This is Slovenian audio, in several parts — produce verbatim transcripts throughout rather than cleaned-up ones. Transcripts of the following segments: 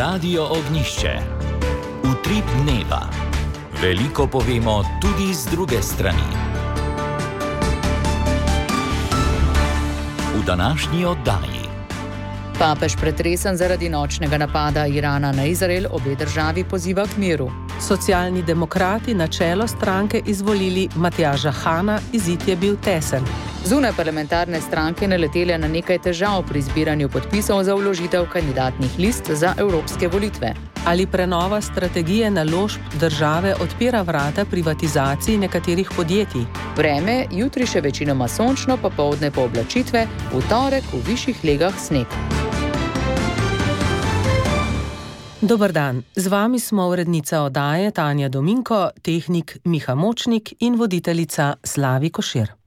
Radio Ognišče. Utrip dneva. Veliko povemo tudi z druge strani. V današnji oddaji. Papež pretresen zaradi nočnega napada Irana na Izrael, obe državi poziva k miru. Socialni demokrati na čelo stranke izvolili Matjaža Hana, izid je bil tesen. Zunaj parlamentarne stranke naletele na nekaj težav pri zbiranju podpisov za vložitev kandidatnih list za evropske volitve. Ali prenova strategije naložb države odpira vrata privatizaciji nekaterih podjetij? Vreme, jutri še večinoma sončno, popoldne pooblačitve, v torek v višjih legah sneg. Dober dan, z vami smo urednica oddaje Tanja Dominko, tehnik Miha Močnik in voditeljica Slavi Košir.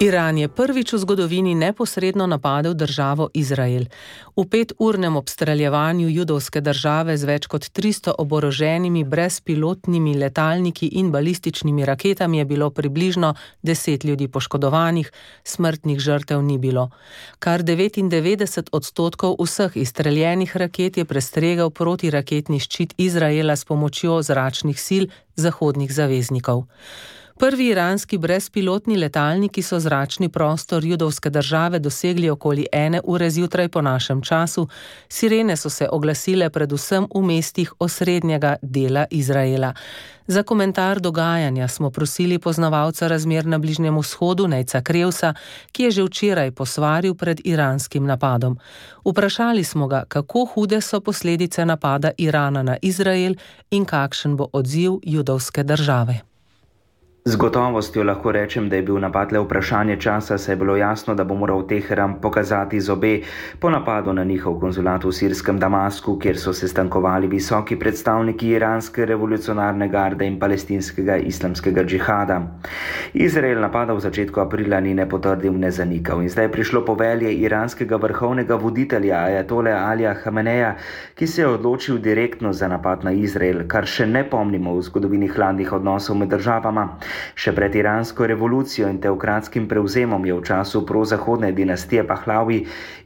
Iran je prvič v zgodovini neposredno napadel državo Izrael. V peturnem obstreljevanju judovske države z več kot tristo oboroženimi brezpilotnimi letalniki in balističnimi raketami je bilo približno deset ljudi poškodovanih, smrtnih žrtev ni bilo. Kar devetindevetdeset odstotkov vseh izstreljenih raket je prestregel protiraketni ščit Izraela s pomočjo zračnih sil zahodnih zaveznikov. Prvi iranski brezpilotni letalniki so zračni prostor judovske države dosegli okoli ene ure zjutraj po našem času. Sirene so se oglasile predvsem v mestih osrednjega dela Izraela. Za komentar dogajanja smo prosili poznavalca razmer na Bližnjem vzhodu Nejca Krevsa, ki je že včeraj posvaril pred iranskim napadom. Vprašali smo ga, kako hude so posledice napada Irana na Izrael in kakšen bo odziv judovske države. Z gotovostjo lahko rečem, da je bil napad le vprašanje časa, saj je bilo jasno, da bo moral Teheran pokazati zobe po napadu na njihov konzulat v sirskem Damasku, kjer so se stankovali visoki predstavniki iranske revolucionarne garde in palestinskega islamskega džihada. Izrael napada v začetku aprila ni ne potrdil, ne zanikal in zdaj je prišlo povelje iranskega vrhovnega voditelja ajatole Alija Hameneja, ki se je odločil direktno za napad na Izrael, kar še ne pomnimo v zgodovini hladnih odnosov med državama. Še pred iransko revolucijo in teokratskim prevzemom je v času prozahodne dinastije Pahlavi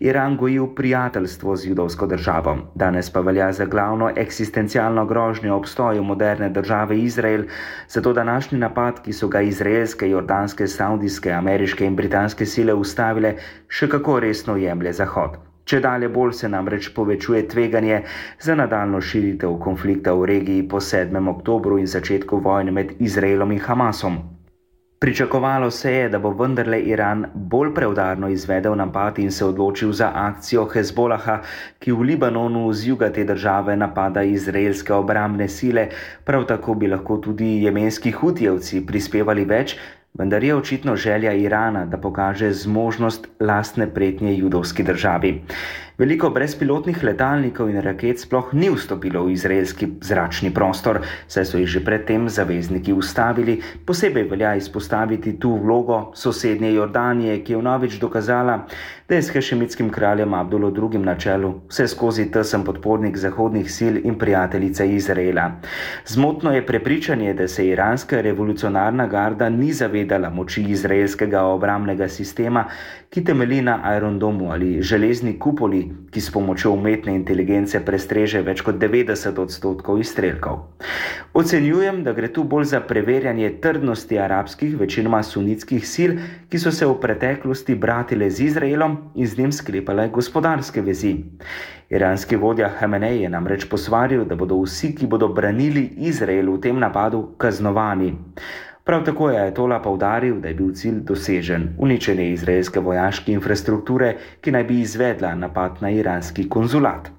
Iran gojil prijateljstvo z judovsko državo. Danes pa velja za glavno eksistencialno grožnjo obstoju moderne države Izrael, zato današnji napad, ki so ga izraelske, jordanske, saudijske, ameriške in britanske sile ustavile, še kako resno jemlje Zahod. Če dalje bolj se namreč povečuje tveganje za nadaljnjo širitev konflikta v regiji po sedmem oktobru in začetku vojne med Izraelom in Hamasom. Pričakovalo se je, da bo vendarle Iran bolj preudarno izvedel napad in se odločil za akcijo Hezbolaha, ki v Libanonu z juga te države napada izraelske obrambne sile, prav tako bi lahko tudi jemenski hutijevci prispevali več, vendar je očitno želja Irana, da pokaže zmožnost lastne pretnje judovski državi. Veliko brezpilotnih letalnikov in raket sploh ni vstopilo v izraelski zračni prostor, saj so jih že predtem zavezniki ustavili. Posebej velja izpostaviti tu vlogo sosednje Jordanije, ki je vnovič dokazala, da je s hašemitskim kraljem Abdulom drugim na čelu vse skozi tesen podpornik zahodnih sil in prijateljica Izraela. Zmotno je prepričanje, da se iranska revolucionarna garda ni zavedala moči izraelskega obrambnega sistema, ki temelji na Iron Domu ali železni kupoli, ki s pomočjo umetne inteligence prestreže več kot devetdeset odstotkov izstrelkov. Ocenjujem, da gre tu bolj za preverjanje trdnosti arabskih, večinoma sunitskih sil, ki so se v preteklosti bratile z Izraelom in z njim sklepale gospodarske vezi. Iranski vodja Hamenej je namreč posvaril, da bodo vsi, ki bodo branili Izrael v tem napadu, kaznovani. Prav tako je ajatola poudaril, da je bil cilj dosežen, uničenje izraelske vojaške infrastrukture, ki naj bi izvedla napad na iranski konzulat.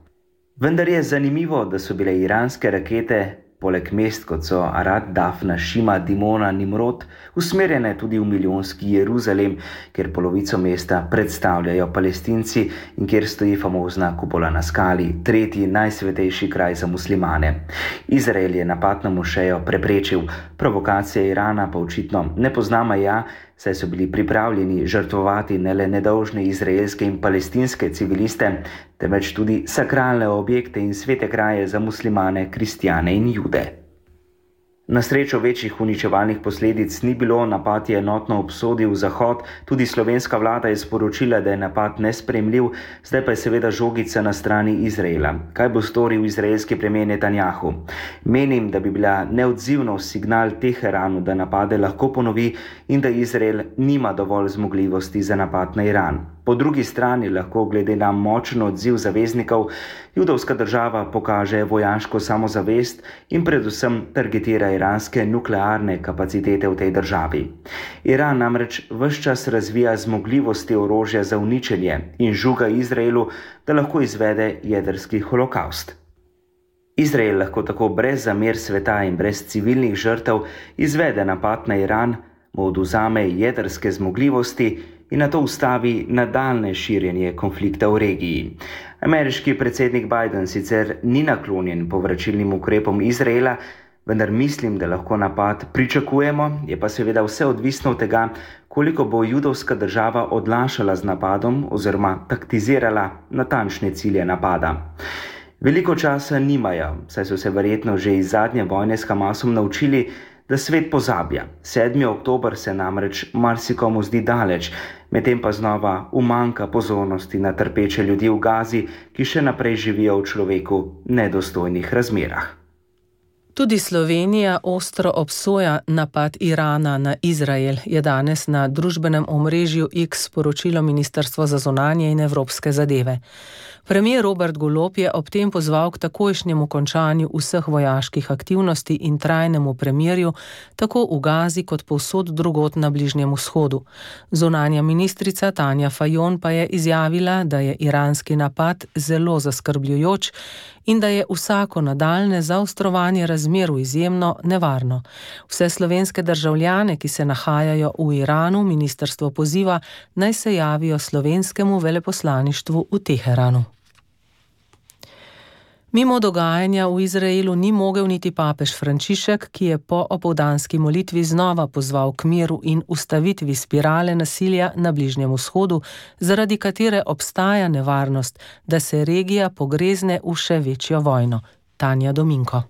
Vendar je zanimivo, da so bile iranske rakete, poleg mest kot so Arad, Dafna, Šima, Dimona, Nimrod, usmerjene tudi v milijonski Jeruzalem, kjer polovico mesta predstavljajo Palestinci in kjer stoji famozna kupola na skali, tretji najsvetejši kraj za muslimane. Izrael je napad na mošejo preprečil, provokacija Irana pa očitno ne pozna meja, saj so bili pripravljeni žrtvovati ne le nedolžne izraelske in palestinske civiliste, temveč tudi sakralne objekte in svete kraje za muslimane, kristjane in jude. Na srečo večjih uničevalnih posledic ni bilo, napad je enotno obsodil Zahod, tudi slovenska vlada je sporočila, da je napad nesprejemljiv, zdaj pa je seveda žogica na strani Izraela. Kaj bo storil izraelski premijer Netanjahu? Menim, da bi bila neodzivnost signal Teheranu, da napade lahko ponovi in da Izrael nima dovolj zmogljivosti za napad na Iran. Po drugi strani lahko glede na močen odziv zaveznikov judovska država pokaže vojaško samozavest in predvsem targetira iranske nuklearne kapacitete v tej državi. Iran namreč ves čas razvija zmogljivosti orožja za uničenje in žuga Izraelu, da lahko izvede jedrski holokavst. Izrael lahko tako brez zamer sveta in brez civilnih žrtev izvede napad na Iran, mu odvzame jedrske zmogljivosti in na to ustavi nadaljne širjenje konflikta v regiji. Ameriški predsednik Biden sicer ni naklonjen povračilnim ukrepom Izraela, vendar mislim, da lahko napad pričakujemo, je pa seveda vse odvisno od tega, koliko bo judovska država odlašala z napadom oziroma taktizirala natančne cilje napada. Veliko časa nimajo, saj so se verjetno že iz zadnje vojne s Hamasom naučili, da svet pozablja. sedmi oktober se namreč marsikomu zdi daleč, medtem pa znova umanjka pozornosti na trpeče ljudi v Gazi, ki še naprej živijo v človeku nedostojnih razmerah. Tudi Slovenija ostro obsoja napad Irana na Izrael, je danes na družbenem omrežju X sporočilo Ministrstvo za zunanje in evropske zadeve. Premier Robert Golob je ob tem pozval k takojšnjemu končanju vseh vojaških aktivnosti in trajnemu premirju, tako v Gazi kot povsod drugod na Bližnjem vzhodu. Zunanja ministrica Tanja Fajon pa je izjavila, da je iranski napad zelo zaskrbljujoč in da je vsako nadaljne zaostrovanje razmer izjemno nevarno. Vse slovenske državljane, ki se nahajajo v Iranu, ministrstvo poziva, naj se javijo slovenskemu veleposlaništvu v Teheranu. Mimo dogajanja v Izraelu ni mogel niti papež Frančišek, ki je po opoldanski molitvi znova pozval k miru in ustavitvi spirale nasilja na Bližnjem vzhodu, zaradi katere obstaja nevarnost, da se regija pogrezne v še večjo vojno. Tanja Dominko.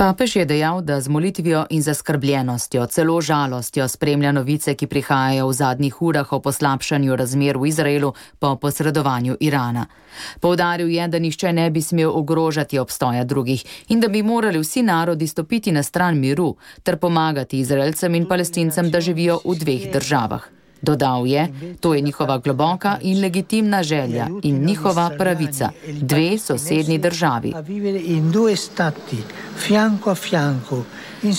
Papež je dejal, da z molitvijo in zaskrbljenostjo, celo žalostjo spremlja novice, ki prihajajo v zadnjih urah o poslabšanju razmer v Izraelu po posredovanju Irana. Poudaril je, da nihče ne bi smel ogrožati obstoja drugih in da bi morali vsi narodi stopiti na stran miru ter pomagati Izraelcem in Palestincem, da živijo v dveh državah. Dodal je, to je njihova globoka in legitimna želja in njihova pravica, dve sosednji državi.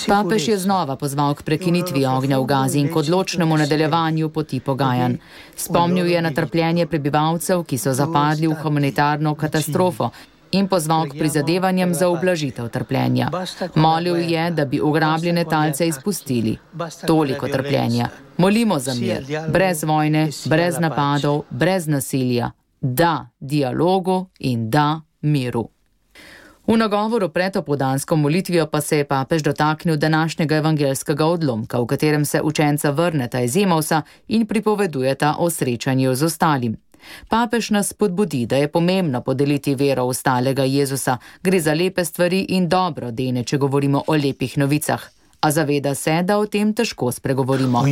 Papež je znova pozval k prekinitvi ognja v Gazi in k odločnemu nadaljevanju poti pogajanj. Spomnil je na trpljenje prebivalcev, ki so zapadli v humanitarno katastrofo, in pozval k prizadevanjem za ublažitev trpljenja. Molil je, da bi ugrabljene talce izpustili. Toliko trpljenja. Molimo za mir, brez vojne, brez napadov, brez nasilja. Da dialogu in da miru. V nagovoru pred opoldansko molitvijo pa se je papež dotaknil današnjega evangelskega odlomka, v katerem se učenca vrneta iz Emausa in pripovedujeta o srečanju z ostalim. Papež nas spodbudi, da je pomembno podeliti vero ostalega Jezusa. Gre za lepe stvari in dobro dene, če govorimo o lepih novicah. A zaveda se, da o tem težko spregovorimo.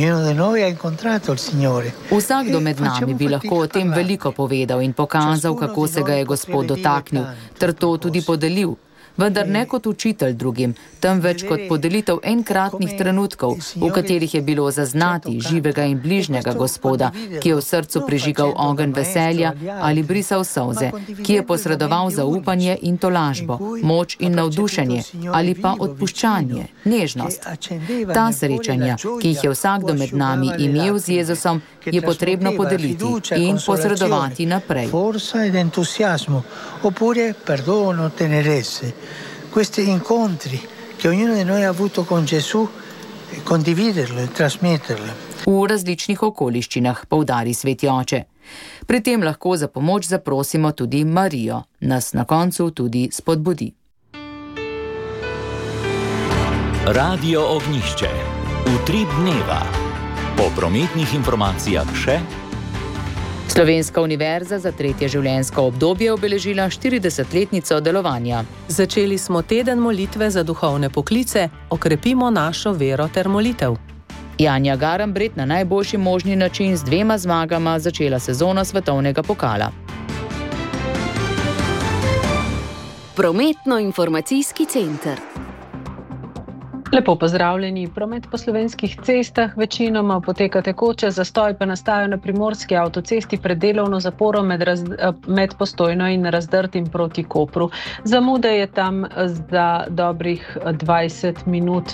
Vsakdo med nami bi lahko o tem veliko povedal in pokazal, kako se ga je Gospod dotaknil, ter to tudi podelil. Vendar ne kot učitelj drugim, temveč kot podelitev enkratnih trenutkov, v katerih je bilo zaznati živega in bližnjega Gospoda, ki je v srcu prižigal ogenj veselja ali brisal solze, ki je posredoval zaupanje in tolažbo, moč in navdušenje ali pa odpuščanje, nežnost. Ta srečanja, ki jih je vsakdo med nami imel z Jezusom, je potrebno podeliti in posredovati naprej. Questi incontri che ognuno di noi ha avuto con Gesù, condividerlo e trasmetterlo. V različnih okoliščinah, poudari sveti oče. Pri tem lahko za pomoč zaprosimo tudi Marijo, nas na koncu tudi spodbudi. Radio Ognjišče. Utrip dneva. Po prometnih informacijah še Slovenska univerza za tretje življenjsko obdobje obeležila štiridesetletnico delovanja. Začeli smo teden molitve za duhovne poklice, okrepimo našo vero ter molitev. Janja Garambret na najboljši možni način z dvema zmagama začela sezono svetovnega pokala. Prometno-informacijski center. Lepo pozdravljeni. Promet po slovenskih cestah večinoma poteka tekoče, zastoj pa nastajajo na primorski avtocesti pred delovno zaporo med, raz, med Postojno in Razdrtim proti Kopru. Zamude je tam za dobrih dvajset minut.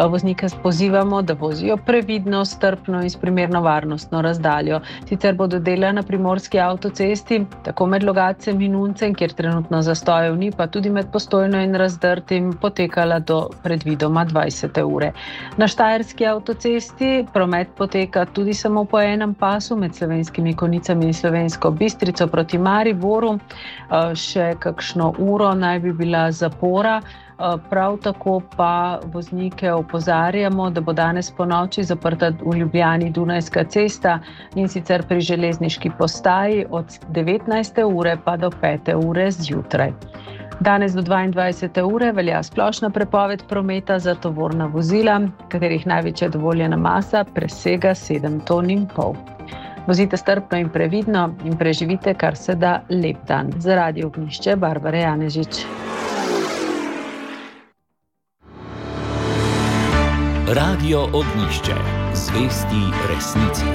Voznike pozivamo, da vozijo previdno, strpno in s primerno varnostno razdaljo. Sicer bodo dela na primorski avtocesti, tako med Logacem in Uncem, kjer trenutno zastojev ni, pa tudi med Postojno in Razdrtim potekala do predvidoma dvajset ure. Na štajerski avtocesti promet poteka tudi samo po enem pasu med Slovenskimi Konjicami in Slovensko Bistrico proti Mariboru. Še kakšno uro naj bi bila zapora. Prav tako pa voznike opozarjamo, da bo danes ponoči zaprta v Ljubljani Dunajska cesta in sicer pri železniški postaji od devetnajste ure pa do pete ure zjutraj. Danes do dvaindvajsete ure velja splošna prepoved prometa za tovorna vozila, katerih največja dovoljena masa presega sedem ton in pol. Vozite strpno in previdno in preživite kar se da lep dan. Za Radio Ognjišče, Barbara Janežič. Radio Ognjišče. Zvesti resnici.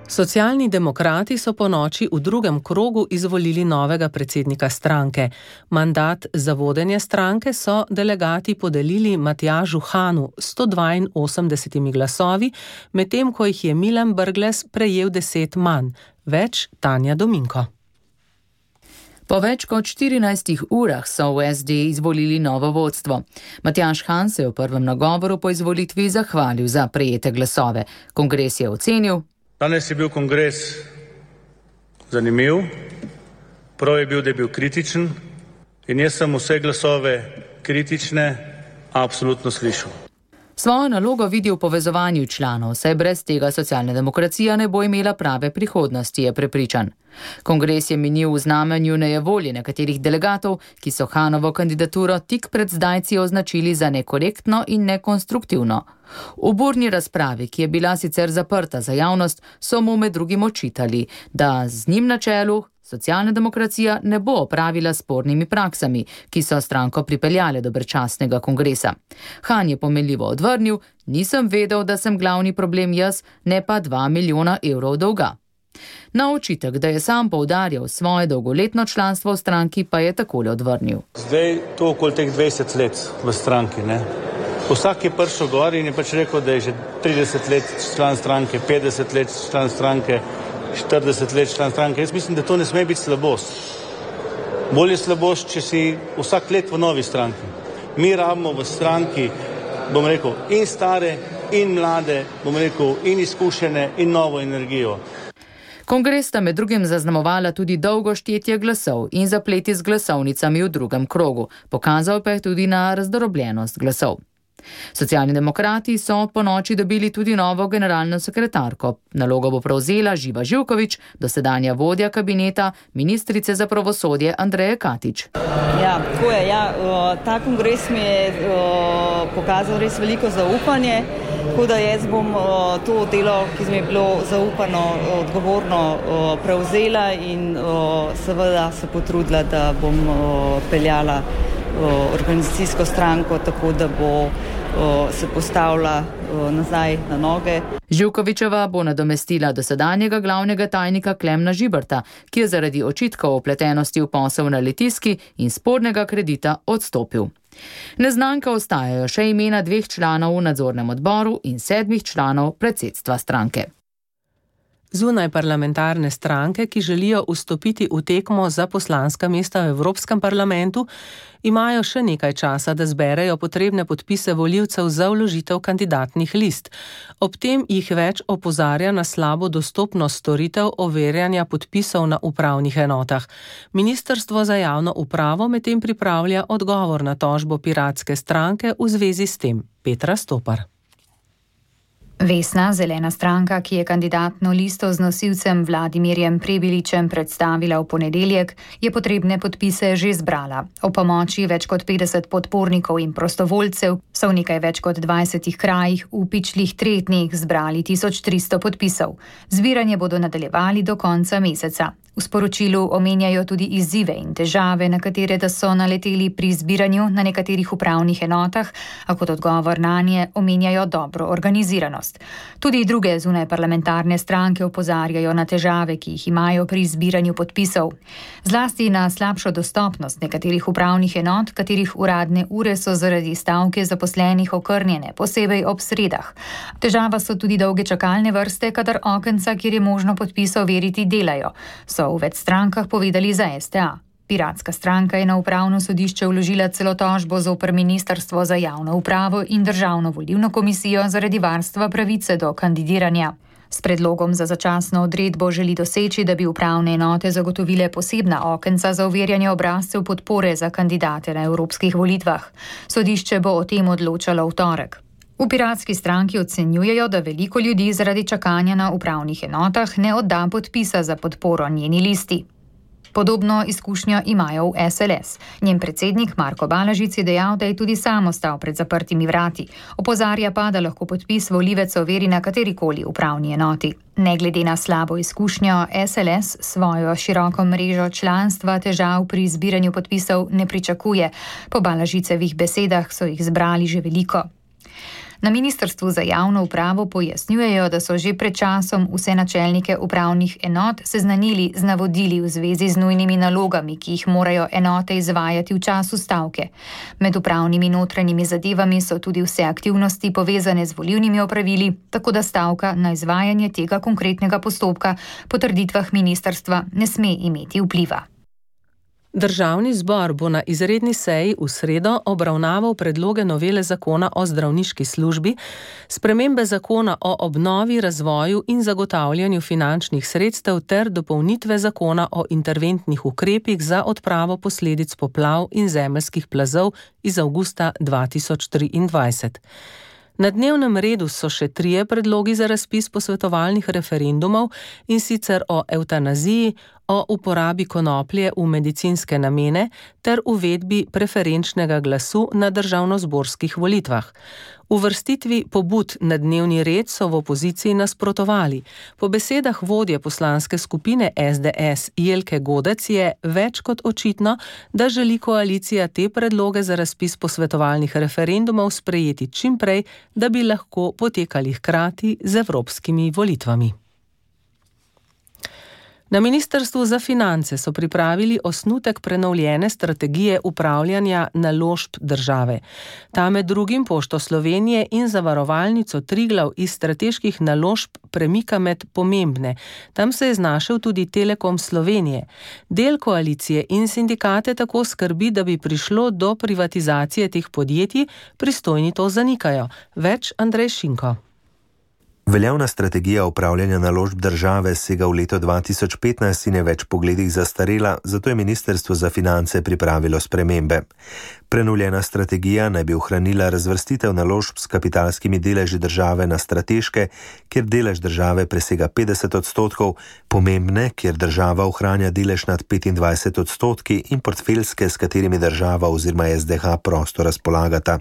Socialni demokrati so po noči v drugem krogu izvolili novega predsednika stranke. Mandat za vodenje stranke so delegati podelili Matjažu Hanu s sto dvainosemdesetimi glasovi, medtem ko jih je Milan Brglez prejel deset manj. Več Tanja Dominko. Po več kot štirinajstih urah so v S D izvolili novo vodstvo. Matjaž Han se je v prvem nagovoru po izvolitvi zahvalil za prejete glasove. Kongres je ocenil: Danes je bil kongres zanimiv, prav je bil, da je bil kritičen in jaz sem vse glasove kritične absolutno slišal. Svojo nalogo vidi v povezovanju članov, saj brez tega socialna demokracija ne bo imela prave prihodnosti, je prepričan. Kongres je minil v znamenju nejevolje nekaterih delegatov, ki so Hanovo kandidaturo tik pred zdajci označili za nekorektno in nekonstruktivno. V burni razpravi, ki je bila sicer zaprta za javnost, so mu med drugim očitali, da z njim na čelu socialna demokracija ne bo opravila spornimi praksami, ki so stranko pripeljale do brezčasnega kongresa. Han je pomenljivo odvrnil: nisem vedel, da sem glavni problem jaz, ne pa dva milijona evrov dolga. Na očitek, da je sam poudarjal svoje dolgoletno članstvo v stranki, pa je takole odvrnil. Zdaj to okoli teh dvajset let v stranki, ne? Vsak je prišel gor in je pač rekel, da je že trideset let član stranke, petdeset let član stranke, štirideset let član stranke. Jaz mislim, da to ne sme biti slabost. Bolje slabost, če si vsak let v novi stranki. Mi rabimo v stranki, bom rekel, in stare, in mlade, bom rekel, in izkušene, in novo energijo. Kongres sta med drugim zaznamovala tudi dolgo štetje glasov in zapleti z glasovnicami v drugem krogu. Pokazal pa je tudi na razdrobljenost glasov. Socialni demokrati so po noči dobili tudi novo generalno sekretarko. Nalogo bo prevzela Živa Živković, dosedanja vodja kabineta ministrice za pravosodje Andreje Katič. Ja, tako je. Ja, ta kongres mi je pokazal res veliko zaupanje, tako da jaz bom to delo, ki mi je bilo zaupano, odgovorno prevzela in seveda se potrudila, da bom peljala organizacijsko stranko tako, da bo se postavila nazaj na noge. Živkovićeva bo nadomestila dosedanjega glavnega tajnika Klemna Žiberta, ki je zaradi očitkov o vpletenosti v posel na Litijski in spornega kredita odstopil. Neznanka ostajajo še imena dveh članov v nadzornem odboru in sedmih članov predsedstva stranke. Zunaj parlamentarne stranke, ki želijo vstopiti v tekmo za poslanska mesta v Evropskem parlamentu, imajo še nekaj časa, da zberejo potrebne podpise volivcev za vložitev kandidatnih list. Ob tem jih več opozarja na slabo dostopnost storitev overjanja podpisov na upravnih enotah. Ministrstvo za javno upravo medtem pripravlja odgovor na tožbo piratske stranke v zvezi s tem. Petra Stopar. Vesna, zelena stranka, ki je kandidatno listo z nosilcem Vladimirjem Prebiličem predstavila v ponedeljek, je potrebne podpise že zbrala. O pomoči več kot petdeset podpornikov in prostovoljcev so v nekaj več kot dvajsetih krajih v pičlih treh dneh zbrali tisoč tristo podpisov. Zbiranje bodo nadaljevali do konca meseca. V sporočilu omenjajo tudi izzive in težave, na katere da so naleteli pri zbiranju na nekaterih upravnih enotah, a kot odgovor nanje omenjajo dobro organiziranost. Tudi druge zunaj parlamentarne stranke opozarjajo na težave, ki jih imajo pri zbiranju podpisov. Zlasti na slabšo dostopnost nekaterih upravnih enot, katerih uradne ure so zaradi stavke zaposlenih okrnjene, posebej ob sredah. Težava so tudi dolge čakalne vrste, kadar okenca, kjer je možno podpise overiti, delajo. So v več strankah povedali za es te a. Piratska stranka je na upravno sodišče vložila celo tožbo zoper Ministrstvo za javno upravo in Državno volilno komisijo zaradi varstva pravice do kandidiranja. S predlogom za začasno odredbo želi doseči, da bi upravne enote zagotovile posebna okenca za overjanje obrazcev podpore za kandidate na evropskih volitvah. Sodišče bo o tem odločalo v torek. V Piratski stranki ocenjujejo, da veliko ljudi zaradi čakanja na upravnih enotah ne odda podpisa za podporo njeni listi. Podobno izkušnjo imajo v es el es. Njen predsednik Marko Balažic je dejal, da je tudi sam ostal pred zaprtimi vrati. Opozarja pa, da lahko podpis volivec overi na katerikoli upravni enoti. Ne glede na slabo izkušnjo, es el es svojo široko mrežo članstva težav pri zbiranju podpisov ne pričakuje. Po Balažicevih besedah so jih zbrali že veliko. Na Ministrstvu za javno upravo pojasnjujejo, da so že pred časom vse načelnike upravnih enot seznanili z navodili v zvezi z nujnimi nalogami, ki jih morajo enote izvajati v času stavke. Med upravnimi notranjimi zadevami so tudi vse aktivnosti povezane z volilnimi opravili, tako da stavka na izvajanje tega konkretnega postopka po trditvah ministrstva ne sme imeti vpliva. Državni zbor bo na izredni seji v sredo obravnaval predloge novele zakona o zdravniški službi, spremembe zakona o obnovi, razvoju in zagotavljanju finančnih sredstev ter dopolnitve zakona o interventnih ukrepih za odpravo posledic poplav in zemeljskih plazov iz avgusta dva tisoč triindvajset. Na dnevnem redu so še trije predlogi za razpis posvetovalnih referendumov, in sicer o evtanaziji, o uporabi konoplje v medicinske namene ter uvedbi preferenčnega glasu na državnozborskih volitvah. Uvrstitvi pobud na dnevni red so v opoziciji nasprotovali. Po besedah vodje poslanske skupine es de es Jelke Godec je več kot očitno, da želi koalicija te predloge za razpis posvetovalnih referendumov sprejeti čim prej, da bi lahko potekali hkrati z evropskimi volitvami. Na Ministrstvu za finance so pripravili osnutek prenovljene strategije upravljanja naložb države. Ta med drugim Pošto Slovenije in Zavarovalnico Triglav iz strateških naložb premika med pomembne. Tam se je znašel tudi Telekom Slovenije. Del koalicije in sindikate tako skrbi, da bi prišlo do privatizacije teh podjetij, pristojni to zanikajo. Več Andrej Šinko. Veljavna strategija upravljanja naložb države sega v leto dva tisoč petnajst in je več pogledih zastarela, zato je Ministrstvo za finance pripravilo spremembe. Prenovljena strategija naj bi ohranila razvrstitev naložb s kapitalskimi deleži države na strateške, kjer delež države presega petdeset odstotkov, pomembne, kjer država ohranja delež nad petindvajset odstotki in portfeljske, s katerimi država oziroma es de ha prosto razpolagata.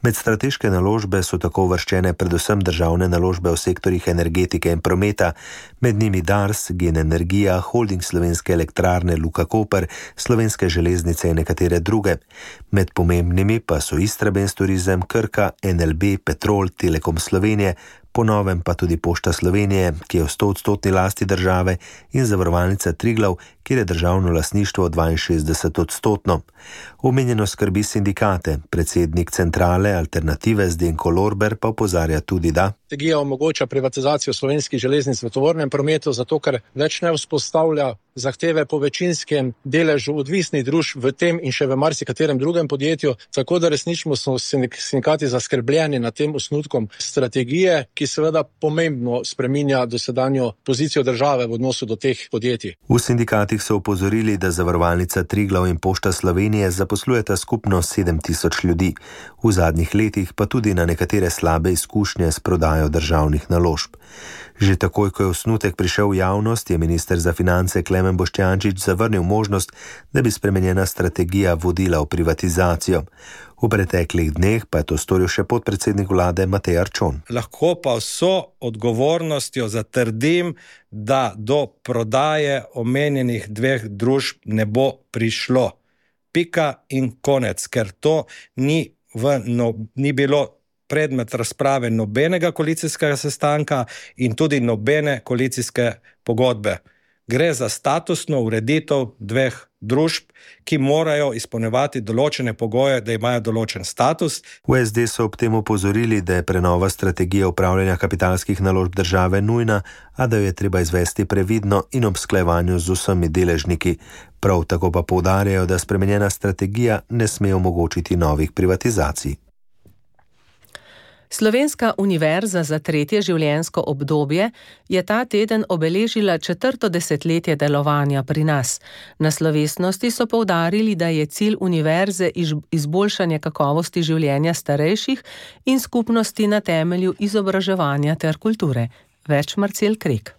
Med strateške naložbe so tako uvrščene predvsem državne naložbe v sektorjih energetike in prometa, med njimi Dars, Gen Energija, Holding Slovenske elektrarne, Luka Koper, Slovenske železnice in nekatere druge. Med pomembnimi pa so Istrabenz Turizem, Krka, en el be, Petrol, Telekom Slovenije, po novem pa tudi Pošta Slovenije, ki je v stoodstotni lasti države, in Zavarovalnica Triglav, kjer je državno lastništvo dvainšestdeset odstotno. Omenjeno skrbi sindikate, predsednik centrale Alternative Zdenko Lorber pa opozarja tudi, da strategija omogoča privatizacijo slovenskih železnic v tovornem prometu, zato ker več ne vzpostavlja zahteve po večinskem deležu odvisnih družb v tem in še v marsikaterem drugem podjetju, tako da resnično so sindikati zaskrbljeni nad tem osnutkom strategije, ki seveda pomembno spreminja dosedanjo pozicijo države v odnosu do teh podjetij. V sindikatih so opozorili, da Zavarovalnica Triglav in Pošta Slovenije zaposlujeta skupno sedem tisoč ljudi. V zadnjih letih pa tudi na nekatere slabe izkušnje s prodajo državnih naložb. Že takoj, ko je osnutek prišel v javnost, je minister za finance Klemen Boštjančič zavrnil možnost, da bi spremenjena strategija vodila v privatizacijo. V preteklih dneh pa je to storil še podpredsednik vlade Matej Arčon. Lahko pa vso odgovornostjo zatrdim, da do prodaje omenjenih dveh družb ne bo prišlo. Pika in konec, ker to ni, v, no, ni bilo predmet razprave nobenega koalicijskega sestanka in tudi nobene koalicijske pogodbe. Gre za statusno ureditev dveh družb, ki morajo izpolnjevati določene pogoje, da imajo določen status. V es de so ob tem opozorili, da je prenova strategije upravljanja kapitalskih naložb države nujna, a da jo je treba izvesti previdno in ob usklajevanju z vsemi deležniki. Prav tako pa poudarjajo, da spremenjena strategija ne sme omogočiti novih privatizacij. Slovenska univerza za tretje življenjsko obdobje je ta teden obeležila četrto desetletje delovanja pri nas. Na slovesnosti so poudarili, da je cilj univerze izboljšanje kakovosti življenja starejših in skupnosti na temelju izobraževanja ter kulture. Več Marcel Krek.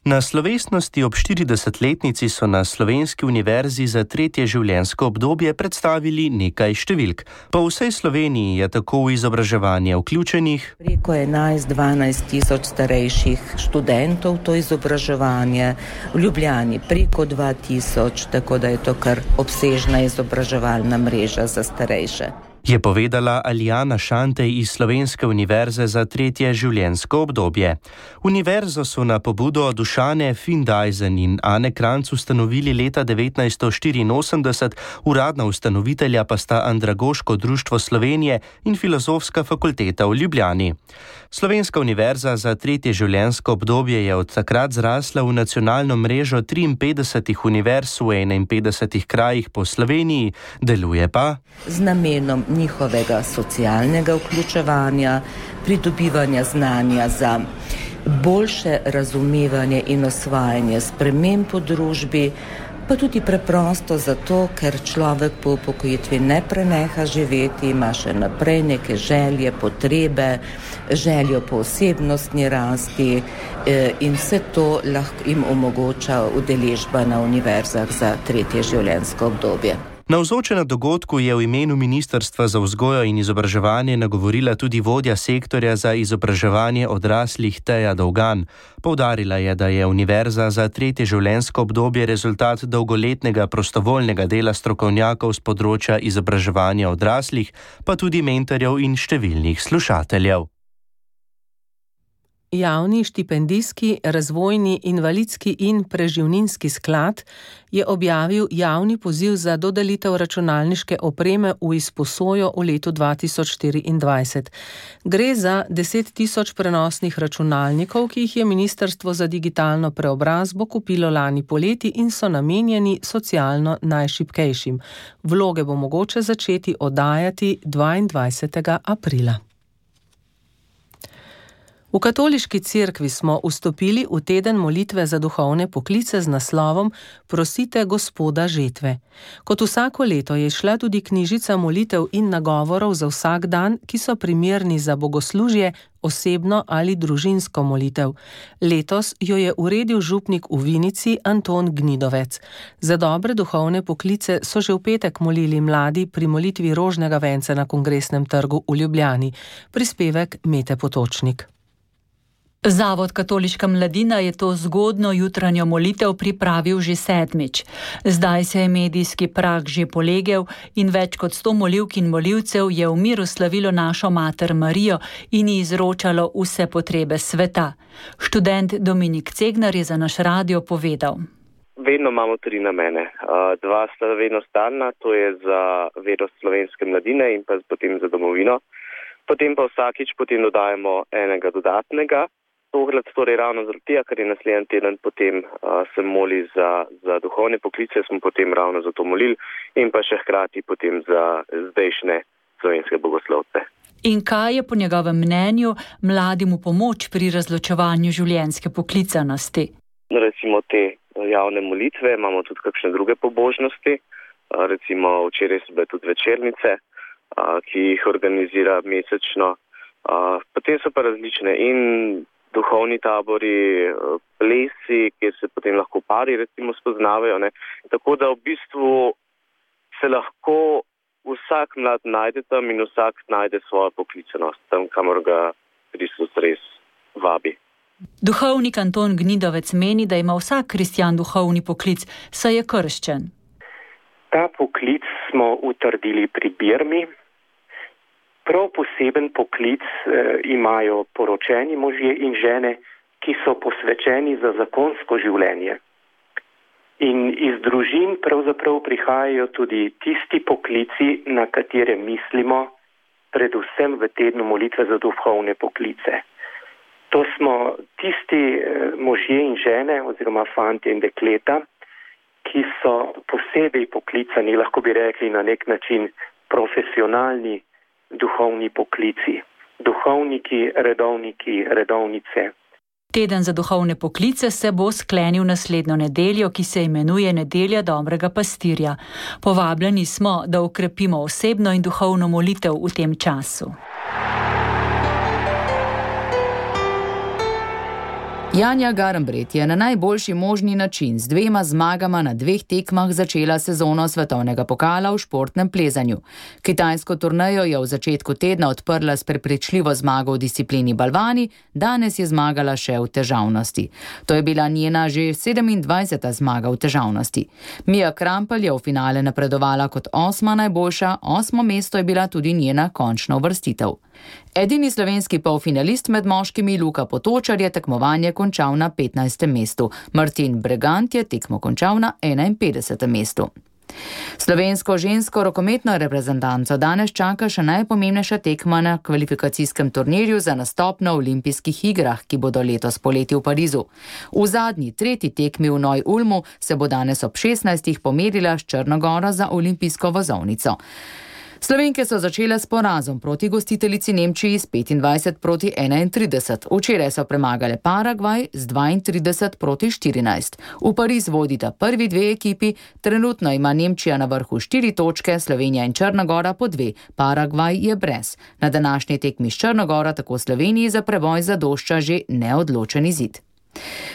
Na slovesnosti ob štiridesetletnici so na Slovenski univerzi za tretje življenjsko obdobje predstavili nekaj številk. Po vsej Sloveniji je tako v izobraževanje vključenih preko enajst do dvanajst tisoč starejših študentov to izobraževanje, v Ljubljani preko dva tisoč, tako da je to kar obsežna izobraževalna mreža za starejše. Je povedala Alijana Šantej iz Slovenske univerze za tretje življenjsko obdobje. Univerzo so na pobudo Dušane Findajzen in Ane Kranc ustanovili leta devetnajststo štiriinosemdeset, uradna ustanovitelja pa sta Andragoško društvo Slovenije in Filozofska fakulteta v Ljubljani. Slovenska univerza za tretje življenjsko obdobje je od takrat zrasla v nacionalno mrežo triinpetdesetih univerz v enainpetdesetih krajih po Sloveniji, deluje pa z namenom njihovega socialnega vključevanja, pridobivanja znanja za boljše razumevanje in osvajanje sprememb v družbi, pa tudi preprosto zato, ker človek po upokojitvi ne preneha živeti, ima še naprej neke želje, potrebe, željo po osebnostni rasti in vse to lahko jim omogoča udeležba na univerzah za tretje življenjsko obdobje. Navzoče na dogodku je v imenu Ministrstva za vzgojo in izobraževanje nagovorila tudi vodja sektorja za izobraževanje odraslih Teja Dolgan. Poudarila je, da je univerza za tretje življenjsko obdobje rezultat dolgoletnega prostovoljnega dela strokovnjakov z področja izobraževanja odraslih, pa tudi mentorjev in številnih slušateljev. Javni štipendijski, razvojni, invalidski in preživninski sklad je objavil javni poziv za dodelitev računalniške opreme v izposojo v letu dva tisoč štiriindvajset. Gre za deset tisoč prenosnih računalnikov, ki jih je Ministrstvo za digitalno preobrazbo kupilo lani poleti in so namenjeni socialno najšibkejšim. Vloge bo mogoče začeti oddajati dvaindvajsetega aprila. V katoliški cerkvi smo vstopili v teden molitve za duhovne poklice z naslovom Prosite Gospoda žetve. Kot vsako leto je šla tudi knjižica molitev in nagovorov za vsak dan, ki so primerni za bogoslužje, osebno ali družinsko molitev. Letos jo je uredil župnik v Vinici Anton Gnidovec. Za dobre duhovne poklice so že v petek molili mladi pri molitvi rožnega venca na Kongresnem trgu v Ljubljani. Prispevek Mete Potočnik. Zavod Katoliška mladina je to zgodno jutranjo molitev pripravil že sedmič. Zdaj se je medijski prah že polegel in več kot sto molivk in molivcev je v miru slavilo našo mater Marijo in ji izročalo vse potrebe sveta. Študent Dominik Cegnar je za naš radio povedal. Vedno imamo tri namene. Dva sta vedno stalna, to je za vero slovenske mladine in pa potem za domovino. Potem pa vsakič potem dodajemo enega dodatnega. Tokrat torej ravno zaradi tega, ker je naslednji teden potem uh, se moli za, za duhovne poklice, smo potem ravno za to molili in pa še hkrati potem za zdajšnje slovenske bogoslovce. In kaj je po njegovem mnenju mladim v pomoč pri razločevanju življenjske poklicanosti? Recimo te javne molitve, imamo tudi kakšne druge pobožnosti. Recimo včeraj so bile tudi večernice, ki jih organizira mesečno. Potem so pa različne in duhovni tabori, plesi, kjer se potem lahko pari recimo spoznavajo. Ne? Tako da v bistvu se lahko vsak mlad najde tam in vsak najde svojo poklicanost tam, kamor ga Kristus res vabi. Duhovnik Anton Gnidovec meni, da ima vsak kristjan duhovni poklic, saj je krščen. Ta poklic smo utrdili pri Birmi. Prav poseben poklic eh, imajo poročeni možje in žene, ki so posvečeni za zakonsko življenje. In iz družin pravzaprav prihajajo tudi tisti poklici, na katere mislimo, predvsem v tednu molitve za duhovne poklice. To smo tisti eh, možje in žene oziroma fantje in dekleta, ki so posebej poklicani, lahko bi rekli na nek način profesionalni duhovni poklici. Duhovniki, redovniki, redovnice. Teden za duhovne poklice se bo sklenil naslednjo nedeljo, ki se imenuje Nedelja dobrega pastirja. Povabljeni smo, da okrepimo osebno in duhovno molitev v tem času. Janja Garnbret je na najboljši možni način z dvema zmagama na dveh tekmah začela sezono svetovnega pokala v športnem plezanju. Kitajsko turnejo je v začetku tedna odprla s prepričljivo zmago v disciplini balvani, danes je zmagala še v težavnosti. To je bila njena že sedemindvajseta zmaga v težavnosti. Mija Krampelj je v finale napredovala kot osma najboljša, osmo mesto je bila tudi njena končna uvrstitev. Edini slovenski polfinalist med moškimi Luka Potočar je tekmovanje končal na petnajstem mestu. Martin Bregant je tekmo končal na enainpetdesetem mestu. Slovensko žensko rokometno reprezentanco danes čaka še najpomembnejša tekma na kvalifikacijskem turnirju za nastop na olimpijskih igrah, ki bodo letos poleti v Parizu. V zadnji, tretji tekmi v Neu-Ulmu se bo danes ob šestnajstih pomerila s Črno Goro za olimpijsko vozovnico. Slovenke so začele s porazom proti gostiteljici Nemčiji s petindvajset proti enaintrideset. Včeraj so premagale Paragvaj z dvaintrideset proti štirinajst. V Pariz vodita prvi dve ekipi, trenutno ima Nemčija na vrhu štiri točke, Slovenija in Črna Gora po dve, Paragvaj je brez. Na današnji tekmi s Črno Goro tako Sloveniji za preboj zadošča že neodločen izid.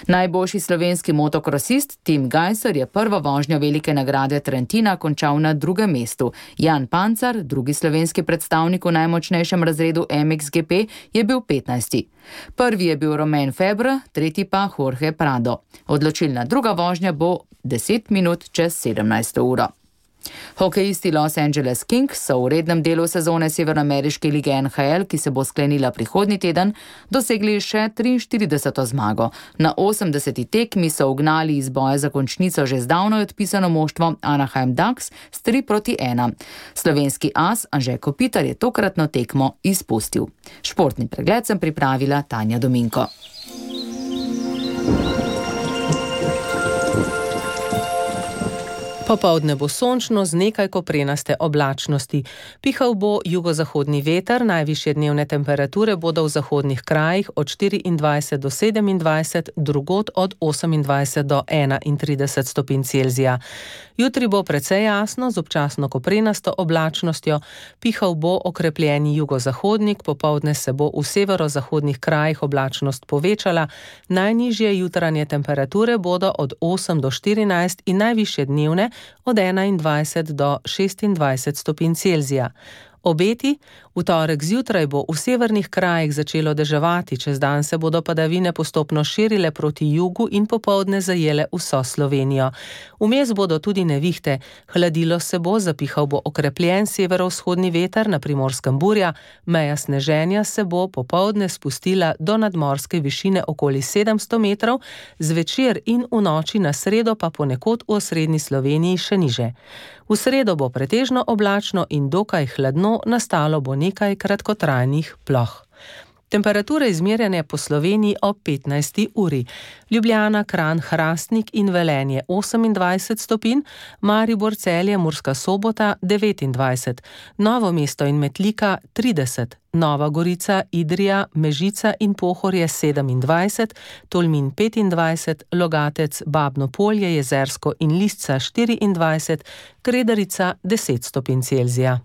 Najboljši slovenski motokrosist Tim Gajser je prvo vožnjo velike nagrade Trentina končal na drugem mestu. Jan Pancar, drugi slovenski predstavnik v najmočnejšem razredu M X G P, je bil petnajsti. Prvi je bil Romain Febvre, tretji pa Jorge Prado. Odločilna druga vožnja bo deset minut čez sedemnajsto uro. Hokejisti Los Angeles Kings so v rednem delu sezone severnoameriške lige N H L, ki se bo sklenila prihodnji teden, dosegli še triinštirideseto zmago. Na osemdeseti tekmi so ugnali iz boja za končnico že zdavno odpisano moštvo Anaheim Ducks s tri proti ena. Slovenski as Anže Kopitar je tokratno tekmo izpustil. Športni pregled sem pripravila Tanja Dominko. Popoldne bo sončno z nekaj koprenaste oblačnosti. Pihal bo jugozahodni veter, najvišje dnevne temperature bodo v zahodnih krajih od štiriindvajset do sedemindvajset, drugod od osemindvajset do enaintrideset stopinj Celzija. Jutri bo precej jasno z občasno koprenasto oblačnostjo, pihal bo okrepljeni jugozahodnik, popoldne se bo v severozahodnih krajih oblačnost povečala, najnižje jutranje temperature bodo od osem do štirinajst in najvišje dnevne od enaindvajset do šestindvajset stopinj Celzija. Obeti, v torek zjutraj bo v severnih krajih začelo deževati, čez dan se bodo padavine postopno širile proti jugu in popoldne zajele vso Slovenijo. Vmes bodo tudi nevihte, hladilo se bo, zapihal bo okrepljen severovzhodni veter, na Primorskem burja, meja sneženja se bo popoldne spustila do nadmorske višine okoli sedemsto metrov, zvečer in v noči na sredo pa ponekod v osrednji Sloveniji še niže. V sredo bo pretežno oblačno in dokaj hladno, nastalo bo nekaj kratkotrajnih ploh. Temperature izmerjene po Sloveniji ob petnajsti uri. Ljubljana, Kranj, Hrastnik in Velenje osemindvajset stopinj, Maribor, Celje, Murska Sobota devetindvajset, Novo mesto in Metlika trideset, Nova Gorica, Idrija, Mežica in Pohorje sedemindvajset, Tolmin petindvajset, Logatec, Babno Polje, Jezersko in Lisca štiriindvajset, Kredarica deset stopinj Celzija.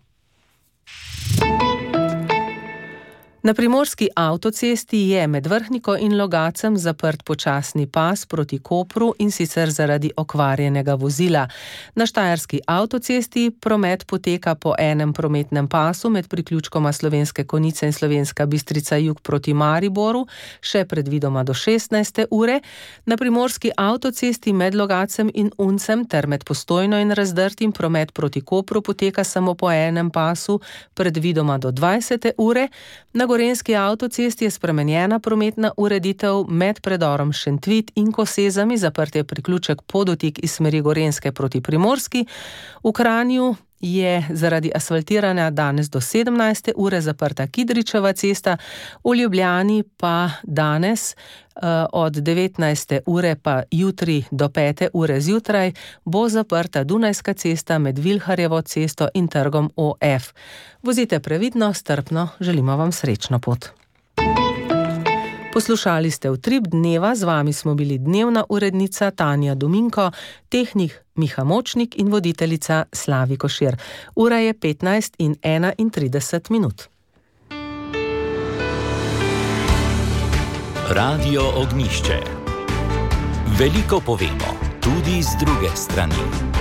Na primorski avtocesti je med Vrhniko in Logacem zaprt počasni pas proti Kopru, in sicer zaradi okvarjenega vozila. Na štajerski avtocesti promet poteka po enem prometnem pasu med priključkoma Slovenske Konjice in Slovenska Bistrica jug proti Mariboru, še predvidoma do šestnajste ure. Na primorski avtocesti med Logacem in Uncem ter med Postojno in Razdrtim promet proti Kopru poteka samo po enem pasu, predvidoma do dvajsete ure. Na gorenjski avtocesti je spremenjena prometna ureditev med predorom Šentvit in Kosezami, zaprt je priključek Podotik iz smeri Gorenjske proti Primorski. V Kranju je zaradi asfaltiranja danes do sedemnajste ure zaprta Kidričeva cesta, v Ljubljani pa danes od devetnajste ure pa jutri do pete ure zjutraj bo zaprta Dunajska cesta med Vilharjevo cesto in trgom O F. Vozite previdno, strpno, želimo vam srečno pot. Poslušali ste Utrip dneva, z vami smo bili dnevna urednica Tanja Dominko, tehnik Miha Močnik in voditeljica Slavi Košir. Ura je petnajst in enaintrideset minut. Radio Ognjišče. Veliko povemo, tudi z druge strani.